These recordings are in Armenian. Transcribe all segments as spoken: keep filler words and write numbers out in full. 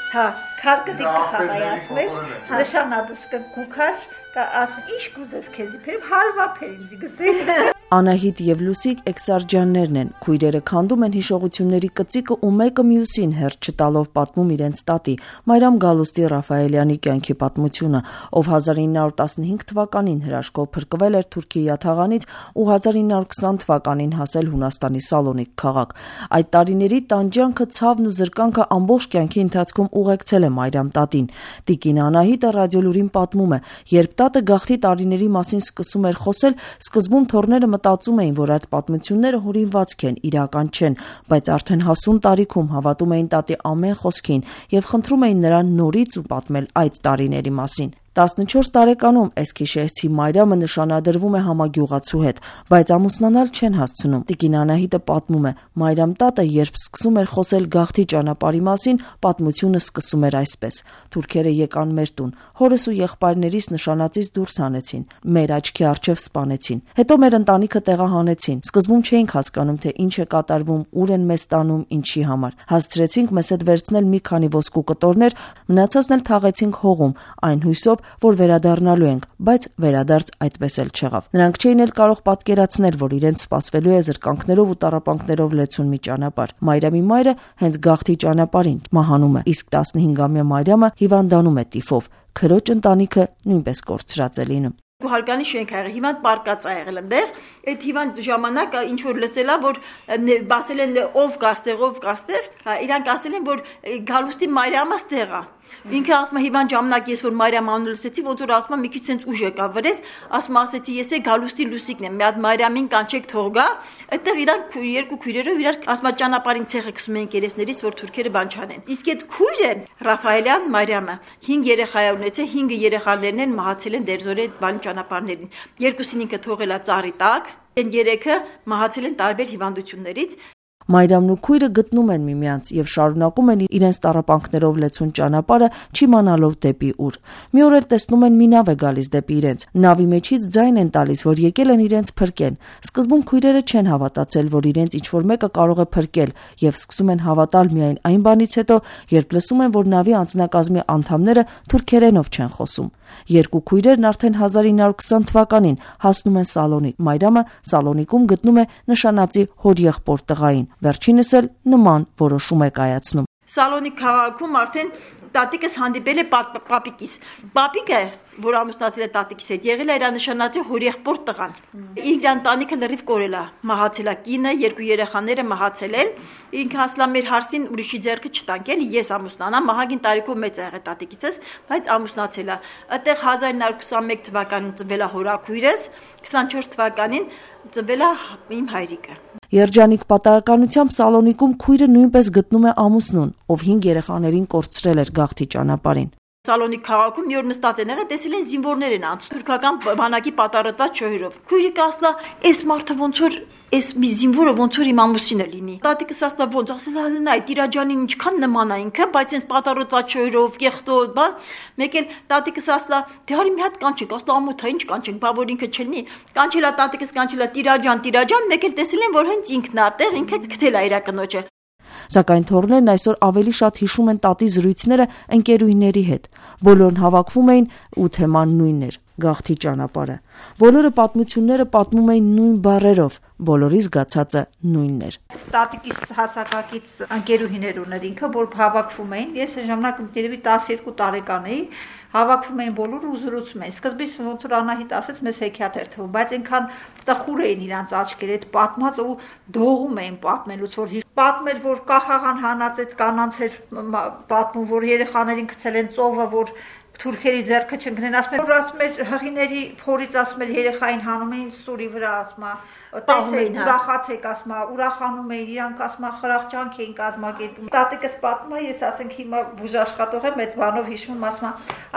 Հա, քարկդիկ կխաղայ ասում էր, նշանածս կգուքար, ասում ինչ կուզես քեզի փերեմ, հալվա փերինձի գսի։ Անահիտ եւ Լուսիկ Էքսարջյաններն են, քույրերը քանդում են հիշողությունների կծիկը ու մեկը մյուսին հերթ չտալով պատմում իրենց տատի Մարիամ Գալուստի Ռաֆայելյանի կյանքի պատմությունը, ով հազար ինը հարյուր տասնհինգ թվականին հրաշքով փրկվել էր Թուրքիի յաթաղանից ու հազար ինը հարյուր քսան թվականին հասել Հունաստանի Սալոնիկ քաղաք։ Այդ տարիների տանջանքը, ցավն ու զրկանքը ամբողջ կյանքի ընթացքում ուղեկցել է Մարիամ տատին։ Տիկին Անահիտը ռադիոլուրին պատմում է, երբ տատը գաղթի տարիների մասին սկսում էր խոսել, սկզբում թորները մտածում էին, որ այդ պատմությունները հորինվածք են, իրական չեն, բայց արդեն հասուն տարիքում հավատում էին տատի ամեն խոսքին եւ խնդրում էին նրան նորից ու պատմել այդ տարիների մասին։ տասնչորս տարեկանում Էսքիշեհցի Մարիամը նշանադրվում է համագյուղացու հետ, բայց ամուսնանալ չեն հասցնում։ Տիկին Անահիտը պատմում է, Մարիամ տատը, երբ սկսում էր խոսել գաղթի ճանապարհի մասին, պատմությունը սկսում էր այսպես. Թուրքերը եկան մեր տուն, հորս ու եղբայրներիս նշանածից դուրս հանեցին, մեր աչքի առջև սպանեցին, հետո մեր ընտանիքը տեղահանեցին։ Սկզբում չէինք հասկանում, թե ինչ է կատարվում, ուր են մեզ տանում, ինչի համար։ Հասցրեցինք մեզ հետ վերցնել մի քանի ոսկու կտորներ, մնացածն էլ թաղեցինք հողում, այն հույսով, որ վերադառնալու ենք, բայց վերադարձ այդպես էլ չեղավ։ Նրանք չէին էլ կարող պատկերացնել, որ իրենց սպասվելու է զրկանքներով ու տառապանքներով լեցուն մի ճանապարհ։ Մարիամի մայրը հենց գաղթի ճանապարհին մահանում է, իսկ տասնհինգամյա Մարիամը հիվանդանում է տիֆով։ Քրոջ ընտանիքը նույնպես կորցրած է լինում։ Հարգանի շենք ա եղել, հիվանդ պարկած ա եղել ընդեղ, այդ հիվանդ ժամանակ ինչ որ լսելա, որ բասել են ով գաստեղ, ով գաստեղ, իրանք ասել են, որ Գալուստի Մարիամը ստեղ ա։ Ինքը ասում է հիվանդ ժամանակ ես որ Մարիամ անունը լսեցի, ոնց որ ասում է մի քիչ sense ուժ եկա վրես, ասում ասեցի ես է Գալուստի Լուսիկն եմ, մի հատ Մարիամին կանչեք թող գա, այդտեղ իրանք երկու քույրերով իրար ասում է ճանապարհին ցեղը գցում են երեսներից, որ թուրքերը բան չանեն։ Իսկ այդ քույրը Ռաֆայելյան Մարիամը հինգ երեխա ունեցել, հինգը երեխաներն են մահացել են դերձորի այդ բան ճանապարհներին։ Երկուսին ինքը թողել է ծառի տակ, այն երեքը մահացել են տարբեր հիվանդություններից։ Մարիամն ու քույրը գտնում են միմյանց եւ շարունակում են իրենց տառապանքներով լեցուն ճանապարհը, չիմանալով դեպի ուր։ Մի օր էլ տեսնում են մի նավ է գալիս դեպի իրենց։ Նավի մեջից ձայն են տալիս, որ եկել են իրենց փրկեն։ Սկզբում քույրերը չեն հավատացել, որ իրենց ինչ-որ մեկը կարող է փրկել եւ սկսում են հավատալ միայն այն բանից հետո, երբ լսում են, որ նավի անձնակազմի անդամները թուրքերենով չեն խոսում։ Երկու քույրերն արդեն հազար ինը հարյուր քսան թվականին հասնում են Սալոնիկ։ Մարիամը Սալոնիկում գտնում է նշանածի հորեղբոր տղային։ Վերջինս էլ նման որոշում է կայացնում։ Սալոնիկ քաղաքում արդեն տատիկս հանդիպել է պապիկիս։ Պապիկը, որ ամուսնացել է տատիկիս հետ, եղել է իր նշանածի հորեղբոր տղան։ Իր ընտանիքը լրիվ կորել է, մահացել է կինը, երկու երեխաները մահացել են։ Ինքը ասլա մեր հարսին ուրիշի ձեռքը չտանք էլի, ես ամուսնանամ, մահագին տարիքով մեծ ա եղել տատիկիցս, բայց ամուսնացել է։ Այդտեղ հազար ինը հարյուր քսանմեկ թվականին ծնվել է հորաքույրս, քսանչորս թվականին ծնվել է իմ հայրիկը։ Երջանիկ պատահականությամբ Սալոնիկում քույրը նույնպես գտնում է ամուսնուն, ով հինգ երեխաներին կորցրել էր գաղթի ճանապարհին։ Սալոնիկ քաղաքում մի օր նստած են եղել, տեսել են զինվորներ են անցնում թուրքական բանակի պատարոտված չոյրով։ Քույրիկը ասլա, «Էս մարդը ոնց որ էս մի զինվորը ոնց որ իմ ամուսինը լինի»։ Տատիկս ասլա, «Ոնց»։ Ասել է, «Նայ, տիրաջանին ինչքան նման է ինքը, բայց այնս պատարոտված չոյրով, կեղտով, բան»։ Մեկ էլ տատիկս ասլա, «Դե հարի մի հատ կանչենք», ասլա, «Ամոթա ինչ կանչենք, բա որ ինքը չլինի»։ Կանչել է տատիկս, կանչել է տիրաջան, տիրաջան, մեկ էլ տեսել են, որ հենց ինքն է այդտեղ, ինքը գտել է իր կնոջը։ Սակայն թորներն այսօր ավելի շատ հիշում են տատի զրույցները ընկերուհիների հետ։ Բոլորն հավաքվում էին ու թեման նույնն էր՝ գաղթի ճանապարհը։ Բոլորը պատմությունները պատմում էին նույն բառերով, բոլորի զգացածը նույնն էր։ Տատիկիս հասակակից ընկերուհիներ ուներ ինքը, որ հավաքվում էին։ Ես այն ժամանակ երևի տասներկու տարեկան էի, հավաքվում էին բոլորը ու զրուցում էին։ Սկզբից ոնց որ Անահիտ ասեց, մեզ հեքիաթ էր թվում, բայց այնքան տխուր էին իրանց աչքերը, այդ պատմած ու դողում էին պատմելուց, որ պատմել, որ կախաղան հանած այդ կանանց էր պատմում, որ երեխաներին գցել են ծովը, որ թուրքերի ձեռքը չընկնեն, ասում էր, որ ասում էր հղիների փորից ասում էր երեխային հանում էին սուրի վրա, ասում է, տեսեք, ուրախացեք, ասում է, ուրախանում էին, իրանք ասում է, խրախճանք էին կազմակերպում։ Տատիկս պատմում է, ես ասենք հիմա բուժաշխատող եմ, այդ բանով հիշում, ասում է,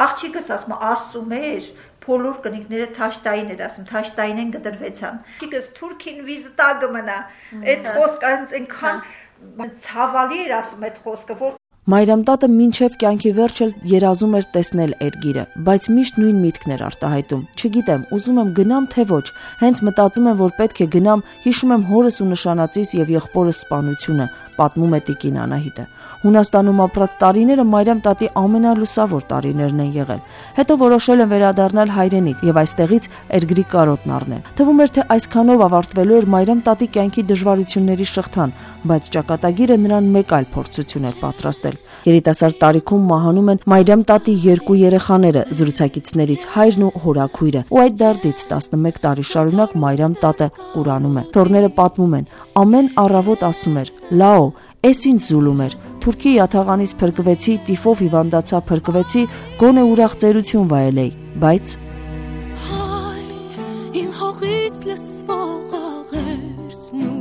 աղջիկս ասում է, Աստծու մեր բոլոր կնիկները թաշտային էր, ասում, թաշտային են գդրվեցան։ Աղջիկս թուրքին վիզտա կմնա, այդ խոսքը այնքան ցավալի էր, ասում այդ խոսքը, որ Մայրամ տատը մինչև կյանքի վերջը երազում էր տեսնել Էրգիրը, բայց միշտ նույն միտքն էր արտահայտում։ Չգիտեմ, ուզում եմ գնամ թե ոչ, հենց մտածում եմ, որ պետք է գնամ, հիշում եմ հորս ու նշանածիս եւ եղբորս սպանությունը, պատմում է տիկին Անահիտը։ Հունաստանում ապրած տարիները Մայրամ տատի ամենալուսավոր տարիներն են եղել։ Հետո որոշել են վերադառնալ հայրենիք եւ այստեղից Էրգրի կարոտն առնել։ Թվում էր, թե այսքանով ավարտվելու էր Մայրամ տատի կյանքի դժվարությունների շղթան, բայց ճակատագիրը նրան մեկ այլ փորձություն էր պատրաստել։ Երիտասարդ տարիքում մահանում են Մայրամ տատի երկու երեխաները, զրուցակիցներից հայրն ու հորաքույրը, ու այդ դարդից տասնմեկ տարի շարունակ Մայրամ տատը Կուրանում է։ Թորները պատմում են, ամեն առավոտ ասում էր. «Լաո, էս ինչ զուլում էր, թուրքի յաթաղանից փրկվեցի, տիֆով հիվանդացա, փրկվեցի, գոնե ուրախ ծերություն վայելեի, բայց հայ իմ հողից լսվող աղերսն ու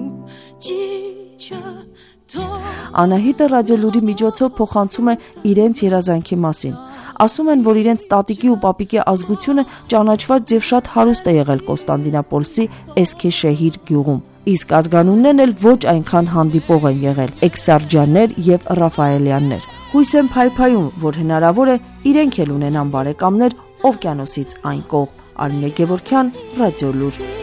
ջիջը Անահիտը ռադիոլուրի միջոցով փոխանցում է իրենց երազանքի մասին։ Ասում են, որ իրենց տատիկի ու պապիկի ազգությունը ճանաչված եւ շատ հարուստ է եղել Կոստանդինապոլսի Էսքեշեհիր գյուղում։ Իսկ ազգանուններն էլ ոչ այնքան հանդիպող են եղել՝ Էքսարջյաններ եւ Ռաֆայելյաններ։ Հույս եմ փայփայում, որ հնարավոր է իրենք էլ ունենան բարեկամներ օվկիանոսից այն կողմ։ Արմինե Գևորգյան, Ռադիոլուր։